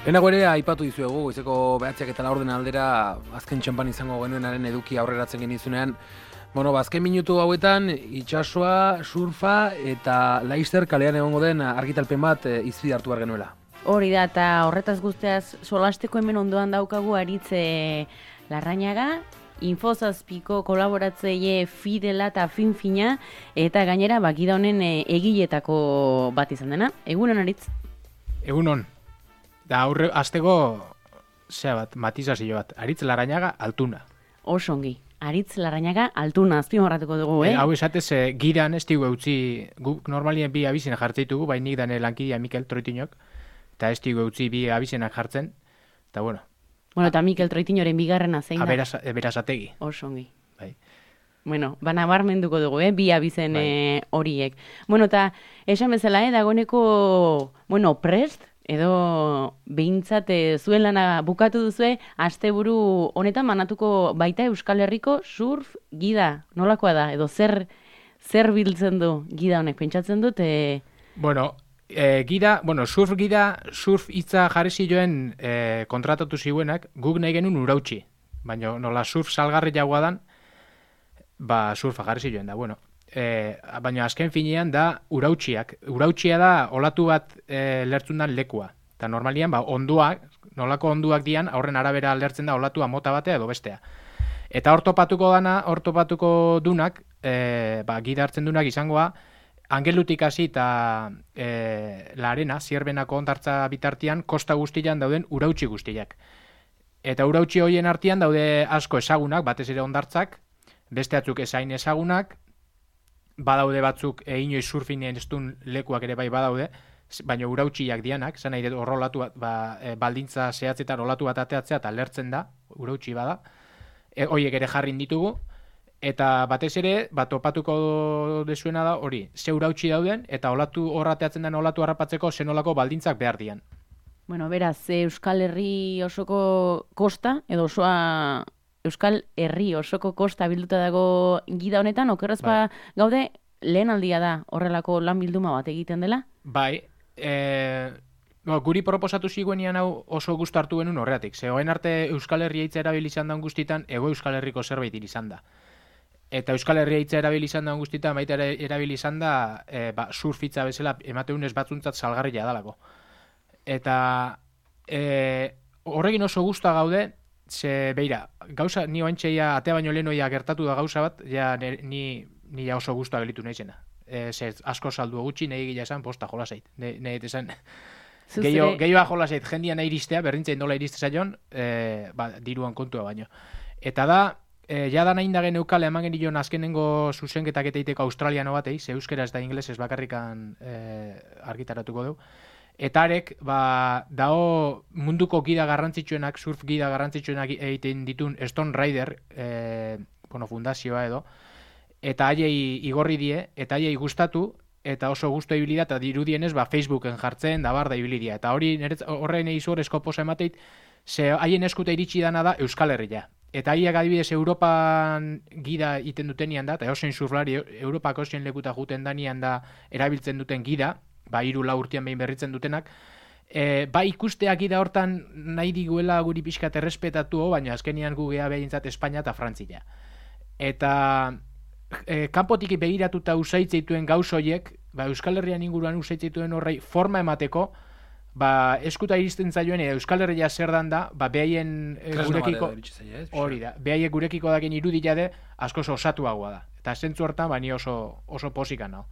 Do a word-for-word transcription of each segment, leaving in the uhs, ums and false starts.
Lehenago ere aipatu dizuegu, goizeko behatziak eta laurden aldera azken txampan izango genuenaren eduki aurreratzen genizunean. Bueno, azken minutu hauetan itsasoa, surfa eta Laister kalean egongo den argitalpen bat izpide hartu behar genuela. Hori da, eta horretaz guztiaz solasteko hemen ondoan daukagu Aritze Larrañaga, Infozazpiko kolaboratzaile fidela eta finfina, eta gainera bakida honen egiletako bat izan dena. Egunon, Aritz? Egunon. Da aurre asteko zea bat, matizazio bat. Aritz Larrañaga Altuna. Osongi. Aritz Larrañaga Altuna azpimarratuko dugu, eh? E, hau esatez, e, giran ez digu eutzi, guk normalien bi abizena jartzeitugu, bai nik dane lankidea Mikel Troitinok, eta ez digu eutzi bi abizenak jartzen, eta bueno. Bueno, eta Mikel Troitinoren bigarrena zein da? Aberaz, berazategi. Osongi. Bai. Bueno, bana barmenduko dugu, eh? Bi abizen bai. Horiek. Bueno, eta esan bezala, eh? Dagoeneko, bueno, prest, edo behintzat zuen lana bukatu duzue, asteburu honetan manatuko baita Euskal Herriko surf gida. Nolakoa da? Edo zer zer biltzen du gida honek? Pentsatzen dut? E... Bueno, e, gida, bueno, surf gida, surf hitza jarri zioen e, kontratatu ziuenak, guk nahi genuen urautxi. Baina nola surf salgarri jagoa dan, ba surfa jarri zioen da, bueno. E, baina azken finean da urautxiak. Urautxia da olatu bat e, lertzun lekua. Eta normalian ba, onduak, nolako onduak dian, horren arabera lertzen da olatua mota batea edo bestea. Eta hor topatuko dana, hor topatuko dunak, e, ba, gida hartzen dunak izangoa, Angelutik hasi eta e, la arena, zierbenako ondartza bitartian, kosta guztian dauden urautxi guztiak. Eta urautxi horien artean daude asko ezagunak, batez ere ondartzak, beste atzuk ezain ezagunak, badaude batzuk e, inoiz surfinen ez duen lekuak ere bai badaude, baina urautxiak dianak, zan nahi dut horrolatu bat, ba, e, baldintza zehatzetan olatu bat ateatzea eta lertzen da, urautxi bada, e, horiek ere jarrin ditugu, eta batez ere, bat topatuko dezuena da hori, ze urautxi dauden, eta olatu horrateatzen den olatu harrapatzeko zenolako baldintzak behar dian. Bueno, beraz, Euskal Herri osoko kosta, edo osoa Euskal Herri osoko kosta bilduta dago gida honetan, okerrez ba gaude lehen aldia da horrelako lan bilduma bat egiten dela? Bai, e, no, guri proposatu ziguenian hau oso gustu hartu genuen horreatik. Ze hoen arte Euskal Herria hitza erabili izan da guztitan, ego Euskal Herriko zerbait izan da. Eta Euskal Herria hitza erabili izan da guztitan, baita erabili izan da e, ba, surfitza bezala emateunez batzuntzat salgarria dalako. Eta e, horrekin oso gusta gaude, ze beira, gauza, ni oantxeia atea baino lehenoia gertatu da gauza bat, ja ni, ni ja oso guztua gelitu naizena. E, ze asko saldu gutxi, nahi gila esan, posta jolasait. Nahi esan, gehioa jolasait, jendia nahi iristea, berrintzein nola iriste zaion, e, ba, diruan kontua baino. Eta da, e, ja da nahi indagen eukale eman genion azkenengo zuzenketak eta iteko australiano batei, ze euskera ez da inglesez bakarrikan e, argitaratuko du. Eta arek, ba, dao munduko gida garrantzitsuenak, surf gida garrantzitsuenak egiten ditun Stone Rider, e, bueno, fundazioa edo, eta haiei igorri die, eta haiei gustatu, eta oso gustu ibili da, eta dirudienez, ba, Facebooken jartzen, da bar da ibili dia. Eta hori, horrein egizorezko posa emateit, ze haien eskuta iritsi dana da Euskal Herria. Eta haiek adibidez Europan gida iten dutenian da, eta osein surflari Europako osein lekuta juten danian da erabiltzen duten gida, ba, hiru lau urtean behin berritzen dutenak, e, ba, ikusteak ida hortan nahi diguela guri pixkat errespetatu, baina azkenian gu geha behintzat Espainia eta Frantzia. Eta e, kanpotik begiratuta usaitzeituen gauz horiek, ba, Euskal Herrian inguruan usaitzeituen horrei forma emateko, ba, eskuta iristen zaioen, eta Euskal Herria zer dan da, ba, behaien e, gurekiko, hori da, behaiek gurekiko daken irudia de, asko osatuagoa da. Eta zentzu hortan, ba, ni oso, oso posikan hau.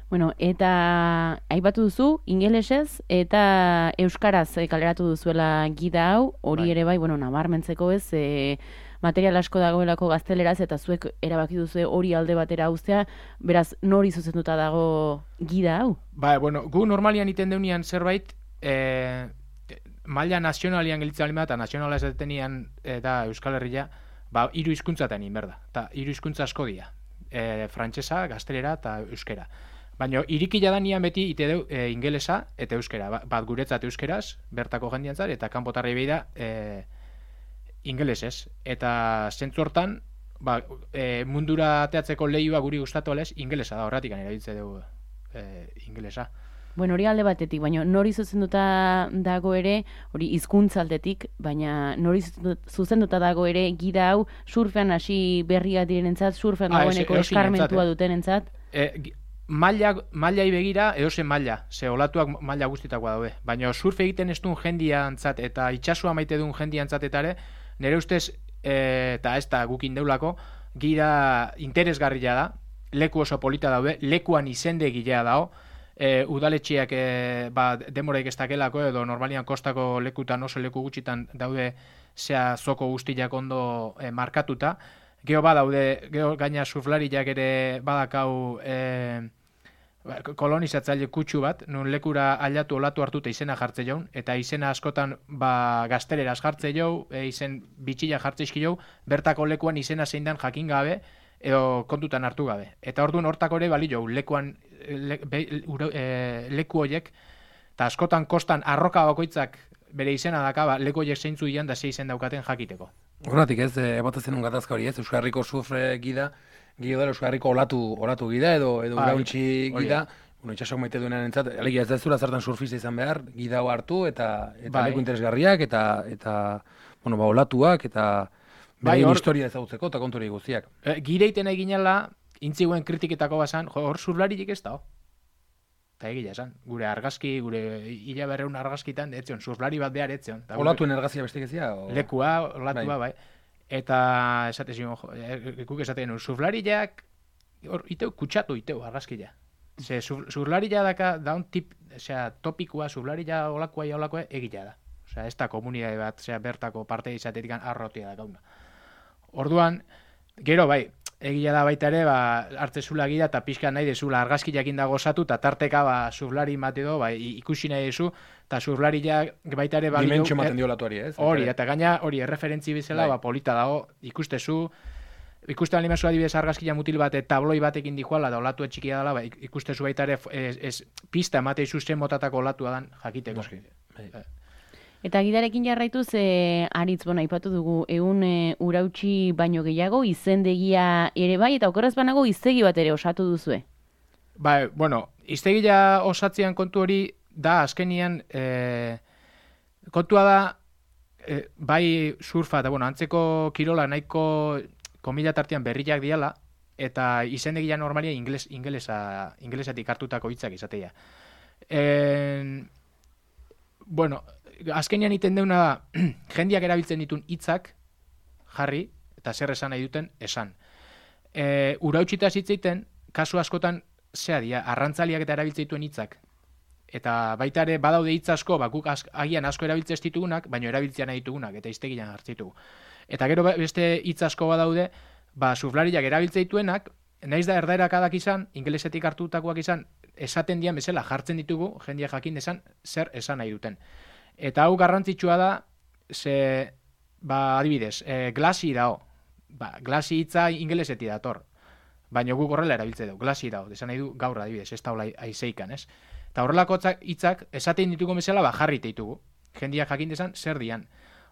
Bueno, eta aipatu duzu, ingelesez eta euskaraz kaleratu duzuela gida hau, hori bai. Ere bai, bueno, nabarmentzeko ez, e, material asko dagoelako gazteleraz, eta zuek erabaki duzu hori alde batera uztea, beraz, nori zuzenduta dago gida hau? Ba, bueno, gu normalian iten deunian zerbait, e, maila nazionalian gelitzen alima, eta nazionala ez detenian eta Euskal Herria, ba, hiru hizkuntzatan inberda, eta hiru hizkuntza asko dira, e, frantsesa, gaztelera eta euskera. Baina irikila da nian beti ite deu e, ingelesa eta euskera. Bat guretzat euskeraz, bertako jendiantzat, eta kanpotarrei beida e, ingelesez. Eta zentzu hortan, ba, e, mundura ateatzeko lehioa guri gustatu alez, ingelesa da, horretik erabiltze dugu e, ingelesa. Bueno, hori alde batetik, baina nori zuzenduta dago ere, hori hizkuntza aldetik, baina nori zuzenduta dago ere gida hau surfean hasi berria direnentzat, surfean Ah, dagoeneko ez- eskarmentua eh. dutenentzat. E, gi- maila, mailai begira, edozen maila, ze olatuak maila guztitakoa daude. Baina surf egiten ez duen jendiantzat eta itxasua maite duen jendiantzat eta ere, nire ustez, e, eta ez da gukin deulako, gira interesgarria da, leku oso polita daude, lekuan izende gilea dao, e, udaletxiak e, ba, demoraik ez dakelako edo normalian kostako lekutan oso leku gutxitan daude zea zoko guztiak ondo e, markatuta. Geo badaude, geo gaina surflariak ere badakau e, kolonizatzaile kutsu bat, nun lekura aldatu olatu hartuta izena jartze jaun, eta izena askotan ba, gazteleraz jartze jau, e, izen bitxila jartze izki jau, bertako lekuan izena zein dan jakin gabe, edo kontutan hartu gabe. Eta orduan hortako ere bali jau, lekuan le, be, uro, e, leku horiek, eta askotan kostan arroka bakoitzak bere izena daka, ba, leku horiek zeintzu dian da ze izen daukaten jakiteko. Horratik ez, ebote zenun gatazka hori ez, Euskal Herriko surfre gida, gida dela Euskal Herriko olatu, olatu gida edo, edo Bai, urauntxi hori gida, bueno, itxasok maite duenan entzat, alegia ez da zura zertan surfista izan behar, gida hau hartu eta, eta Bai. leku interesgarriak eta, eta bueno, ba, olatuak eta Bai, beraien hor- historia ezagutzeko eta kontori guztiak. E, gireiten eginela, intziguen kritiketako bazan, jo, hor surflaririk ez da, ho. Eta egia esan, gure argazki, gure hila berreun argazkitan, etzion, surflari bat behar etzion. Ta gure- Olatuen ergazia bestik ezia? O... Lekua, olatua, bai. Bai. Eta esate zion, jo, e, guk esaten genuen, surflariak, hor, iteu, kutsatu iteu argazkia. Ze sur- surflaria daka, daun tip, osea, topikua, surflaria olakoa ja olakoa egila da. Osea, ez da komunidade bat, osea, bertako parte izatetik arrotia da gauna. Orduan, gero bai, egia da baita ere, ba, hartzezula gida eta pixka nahi dezula argazkiakin dago osatu, eta tarteka ba, surflari bat edo, ba, i- ikusi nahi dezu, eta surflariak baita ere balio... Dimentsio ematen dio olatuari, ez? Hori, eta gaina hori erreferentzi bezala, Bai. ba, polita dago, ikustezu, ikusten alimazu adibidez argazkia mutil bat, tabloi batekin dijoala, da olatu txikia dela, ba, ik- ikustezu baita ere, ez, ez, pista emate izu zen motatako olatua dan jakiteko. Noski, bai. Eta gidarekin jarraituz, e, aritz, bona, aipatu dugu, egun e, urautxi baino gehiago, izendegia ere bai, eta okerraz banago iztegi bat ere osatu duzue. Ba, bueno, iztegila osatzean kontu hori da azkenian e, kontua da e, bai surfa eta bueno, antzeko kirola nahiko komila tartean berriak diala eta izendegia normalia ingles, ingelesa, ingelesatik hartutako hitzak izatea. E, bueno, azkenian iten deuna da jendiak erabiltzen ditun hitzak jarri eta zer esan nahi duten esan. E, urautxitaz hitz egiten, kasu askotan zea dira, arrantzaliak eta erabiltzen dituen hitzak. Eta baita ere badaude hitz asko, ba, guk az, agian asko erabiltzen ez ditugunak, baina erabiltzea nahi ditugunak, eta iztegian hartzen ditugu. Eta gero beste hitz asko badaude, ba, surflariak erabiltzen dituenak, naiz da erdaerak adak izan, ingelesetik hartutakoak izan, esaten dian bezala jartzen ditugu, jendia jakin esan zer esan nahi duten. Eta hau garrantzitsua da, ze, ba, adibidez, e, glasi dao. Ba, glasi hitza ingelesetik dator. Baina guk horrela erabiltze dugu, glasi dao. Desan nahi du gaur adibidez, ez da hola aizeikan, ez? Eta horrelako hitzak esaten ditugu bezala, ba, jarri ditugu. Jendia jakin desan zer dian.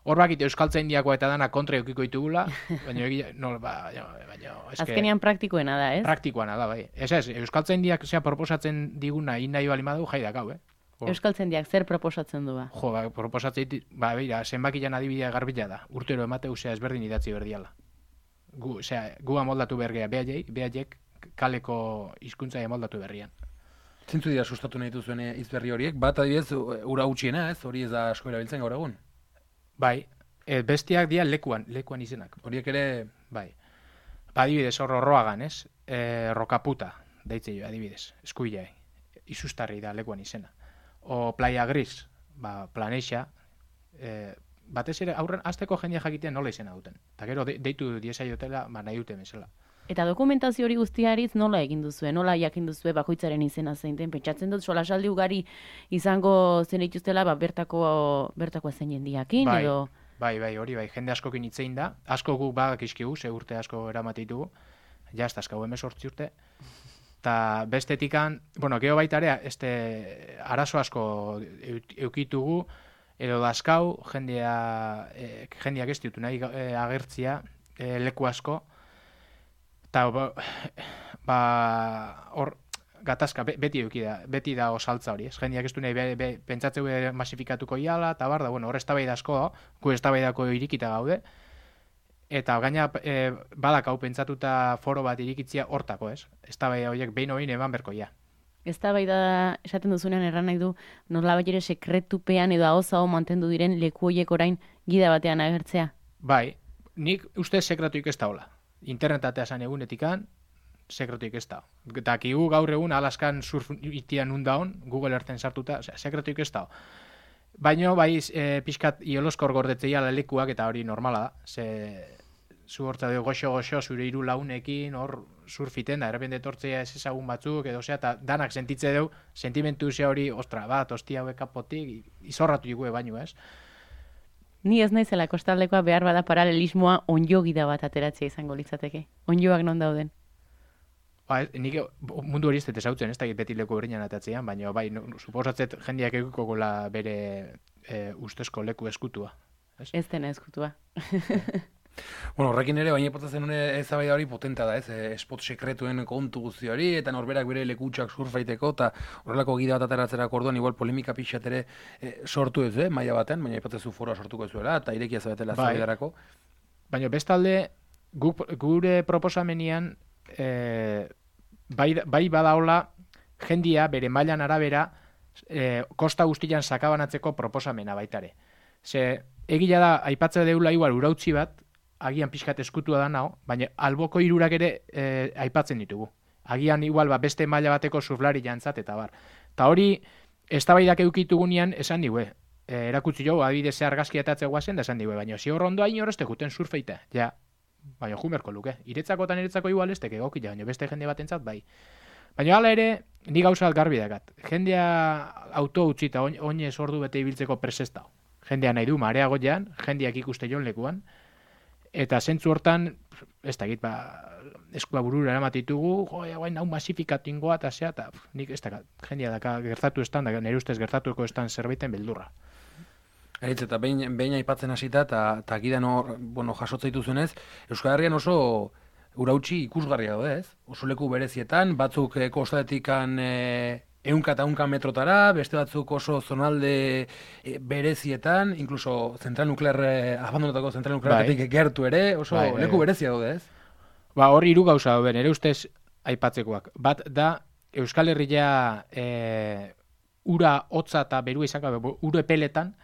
Hor bakite euskaltzain diakoa eta dana kontra eukiko ditugula, baina egia, no, ba, baina, eske... Azkenean praktikoena da, ez? Praktikoana da, bai. Ez ez, euskaltzain diak zea proposatzen diguna inahi bali madu, jai dakau, eh? Hor. Euskaltzaindiak zer proposatzen du ba? Jo, ba, proposatzen dit, ba, beira, zenbakian adibidea garbila da. Urtero emateu, zea, ezberdin idatzi berdiala. Gu, zea, gu amoldatu bergea, behaiek, behaiek kaleko hizkuntza amoldatu berrian. Zintzu dira sustatu nahi duzuen hitz berri horiek, bat adibidez ura utxiena, ez? Hori ez da asko erabiltzen gaur egun. Bai, e, bestiak dira lekuan, lekuan izenak. Horiek ere, Bai. Ba, adibidez, hor horroagan, ez? E, rokaputa, deitze jo, adibidez, eskuilai. Izustarri da lekuan izena. O Playa Gris, ba, Planeixa, e, batez ere aurren azteko jendia jakitean nola izena duten. Eta gero de, deitu diezaiotela, ba, nahi duten bezala. Eta dokumentazio hori guztiaritz nola egin duzue, nola jakin duzue bakoitzaren izena zein den, pentsatzen dut solasaldi ugari izango zen dituztela, ba, bertako, bertako zein jendiakin, Bai. edo... Bai, bai, hori bai, jende askokin hitzein da, asko guk badakizkigu, ze urte asko eramatitugu, jazta askau emezortzi urte, eta bestetikan, bueno, geho baita ere, este, arazo asko eukitugu, edo dazkau, jendia, e, jendiak ez ditu nahi e, agertzia, e, leku asko, eta ba, ba, hor, gatazka beti eduki da, beti da osaltza hori, ez? Jendeak ez du nahi be, be, pentsatzeu masifikatuko iala, eta bar da, bueno, hor eztabaida asko, gu eztabaidako irikita gaude, eta gaina e, badak hau pentsatuta foro bat irikitzia hortako, ez? Eztabaida horiek behin oin eman berkoia. Eztabaida esaten duzunean erran nahi du, nolabait ere sekretupean edo ahozago mantendu diren leku horiek orain gida batean agertzea. Bai, nik uste sekretuik ez daola. Internetatea zan egunetikan, sekretuik ez da. Eta kigu gaur egun Alaskan surf itian undaon, Google Earthen sartuta, osea, sekretuik ez da. Baina, bai, e, pixkat ioloskor gordetzea lekuak, eta hori normala da. Ze, zu hortza dugu goxo-goxo, zure hiru launekin, hor surfiten da, errepende etortzea ez ezagun batzuk, edo zea, eta danak sentitze dugu, sentimentu ze hori, ostra, bat, ostia hauek kapotik, izorratu dugu baino, ez? Ni ez naizela kostaldekoa behar bada paralelismoa onjo gida bat ateratzea izango litzateke. Onjoak non dauden? Ba, nik mundu hori ez dut ezautzen, ez da beti leku berinan atatzean, baina bai, no, suposatzet jendeak egikogola bere e, ustezko leku eskutua. Ez, ez dena eskutua. Bueno, horrekin ere, baina ipotatzen hone ezabaida hori potenta da, ez? E, spot sekretuen kontu guzti hori, eta norberak bere lekutxak surfaiteko, eta horrelako gida bat ateratzerako orduan, igual polemika pixat ere e, sortu ez, eh? Maila baten, baina ipotezu foroa sortuko zuela, eta irekia zabetela bai. Ezabaidarako. Baina bestalde, gu, gure proposamenian, e, bai, bai badaola, jendia bere mailan arabera, e, kosta guztian sakabanatzeko proposamena baitare. Ze, egila da, aipatzea deula igual urautzi bat, agian pixkat eskutua da nao, baina alboko hirurak ere e, aipatzen ditugu. Agian igual ba, beste maila bateko surflari jantzat eta bar. Ta hori, eztabaidak edukitugunean esan digue. E, erakutsi jo, adibidez ze argazki atatzea guazen da esan digue, baina zi horrondo hain horrezte juten surfeita. Ja, baina jumerko luke. Iretzako eta niretzako igual ez teke gokila, baina beste jende batentzat bai. Baina hala ere, ni gauza garbi dakat. Jendea auto utzita oinez ordu bete ibiltzeko presesta. Jendea nahi du mareagoian, jendeak ikuste jon lekuan, eta zentzu hortan, ez da egit, ba, eskua burura eramatitugu, jo, guain hau masifikatu ingoa, eta zea, eta nik ez da, jendea daka gertatu estan, da nire ustez gertatuko estan zerbaiten beldurra. Eritz, eta behin, behin aipatzen hasita, eta gidan hor, bueno, jasotza dituzunez, Euskal Herrian oso urautzi ikusgarria da, ez? Oso leku berezietan, batzuk eh, kostatikan eh, ehunka eta ehunka metrotara, beste batzuk oso zonalde e, berezietan, incluso zentral nuklear, eh, abandonatako zentral nuklearetik bai. Gertu ere, oso bai, leku berezia daude, ez? Ba, hor hiru gauza daude, nire ustez aipatzekoak. Bat da, Euskal Herria e, ura hotza eta berua izan gabe, ura epeletan,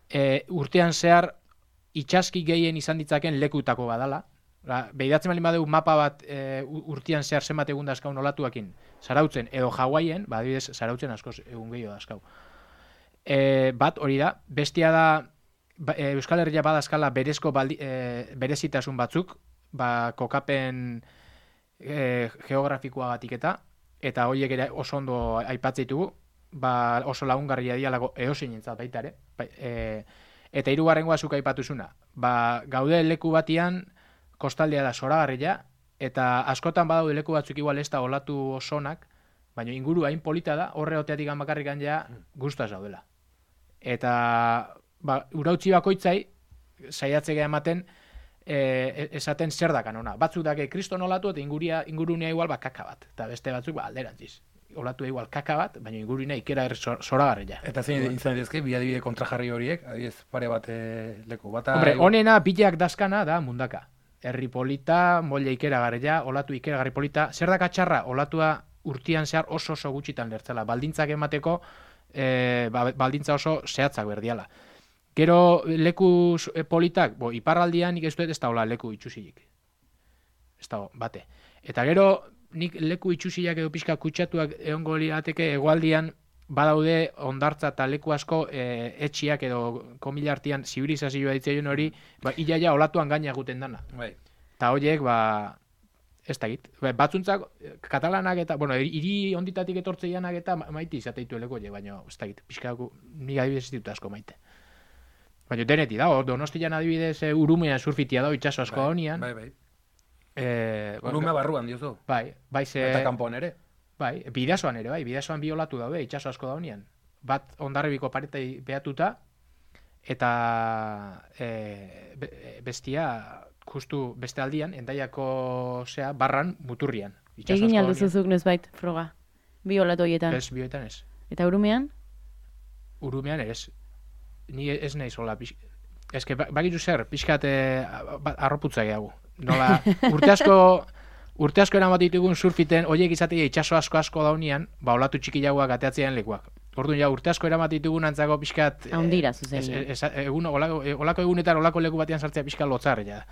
e, urtean zehar itxaski gehien izan ditzaken lekutako badala. Behidatzen bali badeu mapa bat e, urtean zehar zenbat egun dazkaun olatuakin, Zarautzen edo Hawaien, ba, adibidez, Zarautzen askoz egun gehiago dazkau. E, bat hori da, bestia da ba, e, Euskal Herria badazkala berezko baldi, e, berezitasun batzuk, ba, kokapen e, geografikoagatik eta, eta horiek ere oso ondo aipatzeitugu, ba, oso lagungarria dialago eosin entzat baita ere. Ba, e, eta hirugarrengoa zuk aipatuzuna, ba, gaude leku batian, kostaldea da zoragarria, eta askotan badaude leku batzuk igual ez da olatu osonak, baina inguru hain polita da, horre oteatik bakarrik ja gustaz daudela. Eta ba, urautzi bakoitzai, saiatzea ematen, e, esaten zer dakan ona. Batzuk dake kriston olatu eta inguria, ingurunea igual ba, kaka bat, eta beste batzuk ba, alderantziz. Olatu igual kaka bat, baina ingurunea ikera zoragarria. Eta zein izan dezke, bi adibide kontrajarri horiek, adibidez pare bat e, leku. Bata, Hombre, honena bilak dazkana da mundaka. Herri polita, molle ikeragarria, olatu ikeragarri polita, zer da katxarra, olatua urtian zehar oso oso gutxitan lertzela, baldintzak emateko, e, baldintza oso zehatzak berdiala. Gero leku politak, bo, iparraldian nik ez dut ez da hola leku itxusilik. Ez da, bate. Eta gero nik leku itxusiak edo pixka kutsatuak egongo lirateke hegoaldian badaude ondartza eta leku asko e, etxiak edo komilartian zibilizazioa ditzaion hori, ba, iaia olatuan gaina guten dana. Bai. Eta horiek, ba, ez da git. Ba, batzuntzak, katalanak eta, bueno, hiri onditatik etortzeianak eta maite izateitu eleko horiek, baina ez da git. Pixkako, nik adibidez ez ditut asko maite. Baina deneti da, Donostian adibidez e, urumean surfitia da, itxaso asko honian. Bai, bai. E, Urumea barruan diozu. Bai, bai ze... Eta kanpoan ere. Bai, bidasoan ere, bai, bidasoan bi olatu daude, itxaso asko da honian. Bat ondarribiko paretai behatuta, eta e, be, bestia, justu beste aldian, endaiako zea, barran, muturrian. Egin alduzuzuk nozbait, froga. bi olatu horietan. Ez, bioetan ez. Eta urumean? Urumean ez. Ni ez nahi zola. Ez que bakitu zer, pixkat arroputza gehiago. Nola, urte asko, urte asko eramat ditugun surfiten, oiek izatea itxaso asko asko daunian, ba olatu txikiagoak ateatzean lekuak. Orduan ja, urte asko eramat ditugun antzako pixkat... Haundira, zuzen. Egun, olako, olako egunetan olako leku batean sartzea pixkat lotzarre, ja.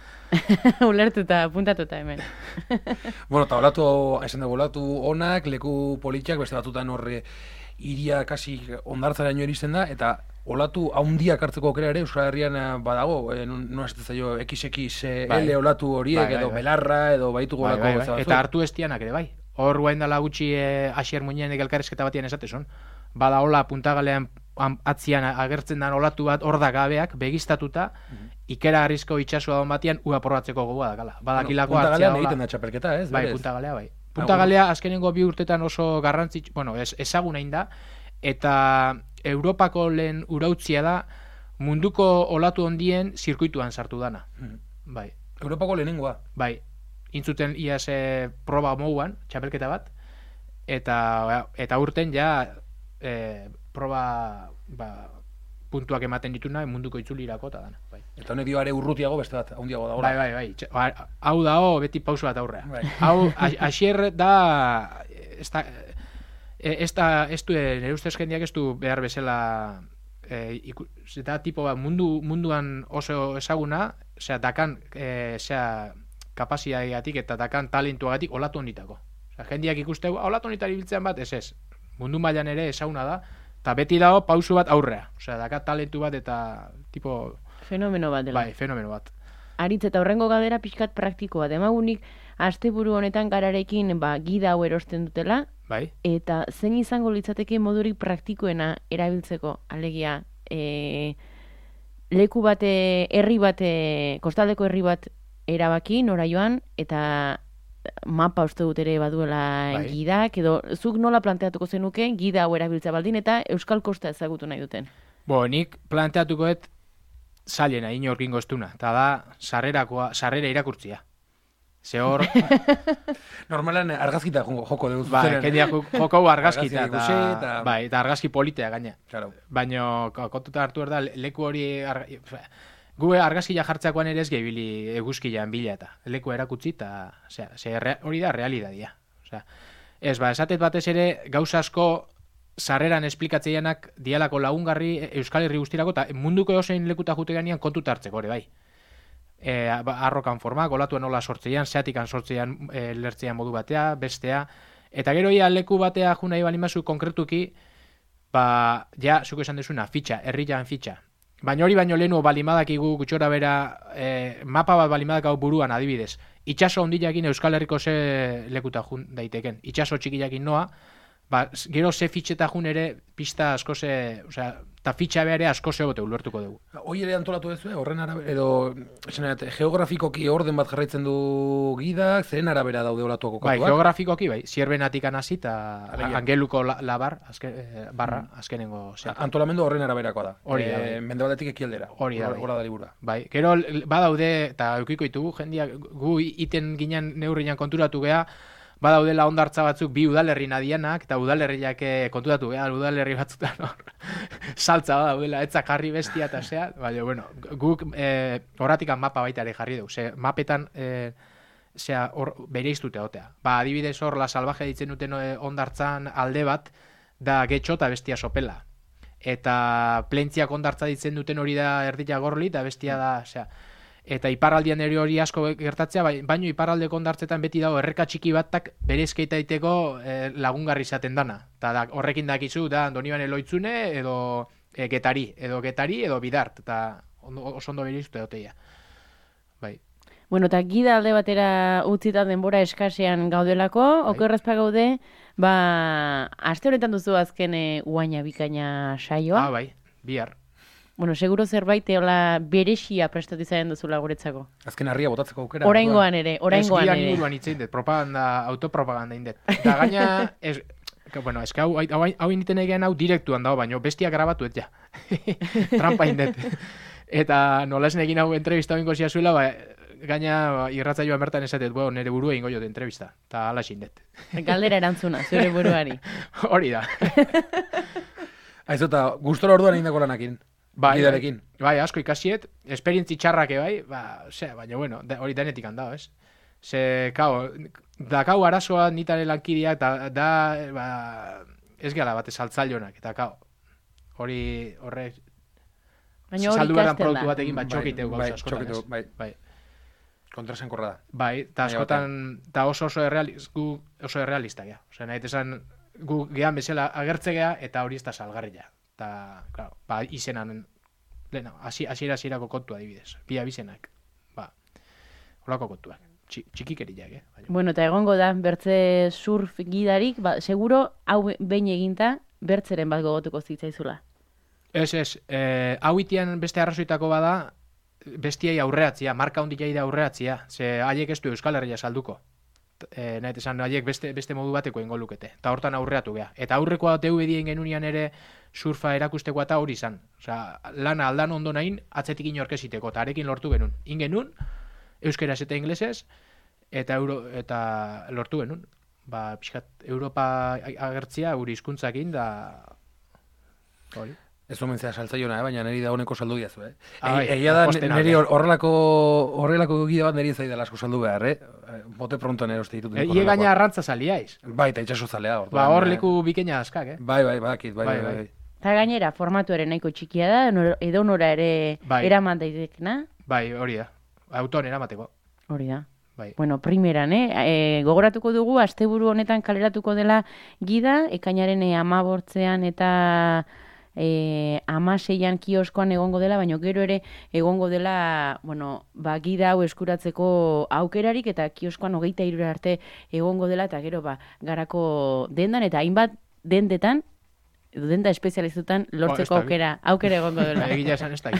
Ulertuta, puntatuta hemen. Bueno, eta olatu, esan dugu, olatu onak, leku politxak, beste batutan horre iria kasi ondartzaraino iristen da, eta olatu haundiak hartzeko aukera ere Euskal Herrian badago, e, nola esaten zaio, X X L olatu horiek, bai, edo bai, belarra, edo baitu bai, golako. Bai, bai. Eta hartu estianak ere, bai. Hor guain dala gutxi e, Asier Muñenek elkarrezketa batian esatezun. Bada hola puntagalean atzian agertzen den olatu bat hor da gabeak, begiztatuta, mm-hmm. ikera harrizko itxasua don batian, ua probatzeko gogoa dakala. Badakilako bueno, hartzea hola. Puntagalean egiten da txapelketa, ez? Bai, puntagalea, bai. Puntagalea azkenengo bi urtetan oso garrantzitsu, bueno, ez, ezaguna da, eta Europako lehen urautzia da munduko olatu hondien zirkuituan sartu dana. Mm. Bai. Europako lehenengoa. Bai. Intzuten iaz e, proba mouan, txapelketa bat, eta, eta urten ja e, proba ba, puntuak ematen dituna munduko itzulirako eta dana. Bai. Eta honek dioare urrutiago beste bat, handiago da. Bai, bai, bai. Ba, hau dao beti pauso bat aurrea. Bai. Hau, Asier da... Esta, Ez da, ez du, nire ustez jendeak ez du behar bezala, e, iku, eta tipo bat, mundu, munduan oso ezaguna, osea, dakan, e, osea, kapasiatik eta dakan talentuagatik olatu honitako. Osea, jendeak ikusteu, olatu honitari biltzean bat, ez ez. Mundu mailan ere ezaguna da, eta beti dago pausu bat aurrea. Osea, dakat talentu bat eta, tipo... Fenomeno bat dela. Bai, fenomeno bat. Aritz, eta horrengo gadera pixkat praktikoa. Demagunik, asteburu honetan gararekin, ba, gida hau erosten dutela, bai. Eta zein izango litzateke modurik praktikoena erabiltzeko, alegia, e, leku bate, herri bate, kostaldeko herri bat erabaki, nora joan, eta mapa uste dut ere baduela bai. Gidak, edo zuk nola planteatuko zenuke, gida hau erabiltza baldin, eta Euskal Kosta ezagutu nahi duten? Bo, nik planteatukoet zailena, inorkingo estuna, eta da, sarrerakoa, sarrera irakurtzia. Ze hor... Normalan argazkita joko dugu. Bai, kendiak joko argazkita. Argazki eta... Bai, eta argazki politea gaina. Claro. Baina, kontuta hartu da, leku hori... Arga... Gu argazkia jartzakoan ere ez gehibili eguzkian bila eta leku erakutsi eta... Osea, hori da realidadia. Osea, ez, ba, esatet batez ere gauza asko sarreran esplikatzeianak dialako lagungarri Euskal Herri guztirako eta munduko eosein lekuta jute ganean kontuta hartzeko ere, bai. E, arrokan formak, olatuen nola sortzeian, zeatikan sortzeian e, lertzean modu batea, bestea, eta gero ia leku batea juna iban imazu konkretuki, ba, ja, zuko esan dezuna, fitxa, herrian fitxa. Baina hori baino lehenu balimadakigu gutxora bera, e, mapa bat balimadak hau buruan adibidez. Itxaso ondilakin Euskal Herriko ze lekuta jun daiteken. Itxaso txikilakin noa, ba, gero ze fitxeta jun ere pista asko ze, osea, eta fitxa behar asko zegote ulertuko dugu. Hoi ere antolatu duzu, horren arabera, edo esanet, geografikoki orden bat jarraitzen du gidak, zeren arabera daude olatuak okatuak? Bai, geografikoki, bai, zierbenatik anasi eta angeluko labar, azken, eh, barra, azkenengo zeak. Antolamendu horren araberakoa da. Hori da. E, Mendebaldetik ekialdera. Hori da. Hora da liburua. Bai, gero badaude, eta eukiko ditugu, jendiak gu iten ginen neurrian konturatu geha, badaudela ondartza batzuk bi udalerri nadianak, eta udalerriak kontutatu, eh, udalerri batzutan hor, saltza badaudela, etzak jarri bestia eta zea, baina, bueno, guk eh, horratikan mapa baita ere jarri dugu, ze mapetan eh, zea hor bere iztute hotea. Ba, adibidez hor, la salvaje ditzen duten eh, ondartzan alde bat, da getxo eta bestia sopela. Eta plentziak ondartza ditzen duten hori da erdila gorli, eta bestia da, zea, eta iparraldian ere hori asko gertatzea, baino iparraldeko ondartzetan beti dago erreka txiki batak berezkeita iteko eh, lagungarri izaten dana. Eta da, horrekin dakizu, da, Donibane Loitzune edo eh, Getari, edo Getari edo Bidart, eta oso ondo berizute doteia. Bai. Bueno, eta gida alde batera utzita denbora eskasean gaudelako, bai. Okerrezpa gaude, ba, aste honetan duzu azken e, uaina bikaina saioa. Ah, bai, bihar. Bueno, seguro zerbait eola berexia prestatu izaren duzula guretzako. Azken harria botatzeko aukera. Oraingoan ere, oraingoan ere. Ez gian inguruan itzein dut, propaganda, autopropaganda indet. Eta gaina, ez, bueno, ez hau, hau, hau initen egean hau direktuan dago, baino bestia grabatu et ja. Trampa indet. Eta nola esan egin hau entrevista binko ziazuela, ba, gaina irratzaioa bertan esatet, bo, nire burua ingo jote entrevista, eta ala xindet. Galdera erantzuna, zure buruari. Hori da. Aizu, eta gustora orduan egin dako lanakin. Bai, Gidarekin. Bai, asko ikasiet, esperientzi txarrake bai, ba, ose, baina bueno, da, hori denetik handao, ez? Ze, kao, da kau arazoa nitare lankideak, da, da ba, ez gala bat saltzailonak, eta kao, hori, horre, Baina hori saldu behar ikasten produktu da. batekin, bat txokiteu bai, gauza askotan, txokiteu, ez? bai. Bai. Kontrasenkorra da. Bai, eta askotan, eta oso oso errealista, gu oso errealista gea. Osea, nahi esan, gu gehan bezala agertze gea, eta hori ez da salgarria. Eta, claro, ba, izenan, lehena, hasiera hasierako kontua adibidez. Bi abizenak, ba, holako kontuak. Txi, txikikeriak, eh? Baina. Bueno, eta egongo da, bertze surf gidarik, ba, seguro, hau behin eginta, bertzeren bat gogotuko zitzaizula. Ez, ez, eh, hau itian beste arrazoitako bada, bestiai aurreatzia, marka hondikai da aurreatzia, ze haiek ez du Euskal Herria salduko. E, nahi esan, haiek beste, beste modu bateko ingo lukete, eta hortan aurreatu gea. Eta aurrekoa D V D-en genunian ere surfa erakusteko eta hori izan. Osea, lana aldan ondo nahin, atzetik inorkeziteko, eta arekin lortu genuen. Ingenun, euskeraz eta inglesez, eta, euro, eta lortu genuen. Ba, pixkat, Europa agertzia, guri hizkuntzakin da... Hori. Ez omentzea saltzaiona, eh? Baina niri da honeko saldu diazu, eh? Ah, E, egia da, posten niri alde. horrelako horrelako gida bat niri zaidala asko saldu behar, eh? Bote pronto nero uste ditut. E, Ie gaina arrantza saliaiz. Bai, eta itxaso zalea. Ba, hor leku bikeina askak, eh? Bai, bai, badakit, bai, Bai, bai, bai. bai. Eta gainera, formatuaren nahiko txikia da, nor- edonora ere Bai. eraman daitekna. Bai, hori da. Autoan eramateko. Hori da. Bai. Bueno, primeran, eh? E, gogoratuko dugu, asteburu honetan kaleratuko dela gida, ekainaren e, amabortzean eta e, amaseian kioskoan egongo dela, baina gero ere egongo dela, bueno, ba, gida hau eskuratzeko aukerarik, eta kioskoan hogeita hirura arte egongo dela, eta gero, ba, garako dendan, eta hainbat dendetan, edo denda espezializutan lortzeko Oh, ez da, aukera, aukera egongo dela. Egia esan ez da.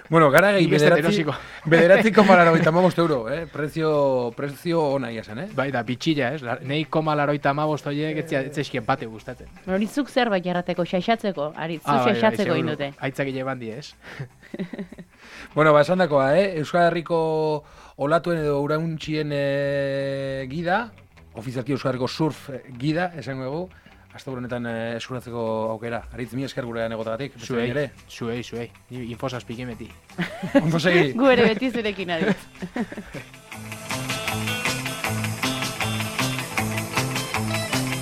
Bueno, gara gehi Nik ez dut bederatzi, erosiko. bederatzi koma larogeita hamabost euro, eh? Prezio, prezio ona ia zen, eh? Bai, da, bitxilla, ez? La- Nei koma laroita amabost horiek etzeskien bate gustatzen. Hori zuk zerbait jarrateko, xaixatzeko, ari, zu Ah, bai, bai, xaixatzeko seguru. indute. Aitzakile bandi, ez? Bueno, ba, esan dakoa, eh? Euskal Herriko olatuen edo urauntxien eh, gida, ofizialki Euskal Herriko surf eh, gida, esango dugu, hasta honetan eh, eskuratzeko aukera. Aritz, mi esker gurean egotagatik. beste Zuei, behin ere. zuei, zuei. Ni infosas pikemeti. Ondo segi. Gu ere beti zurekin aditz.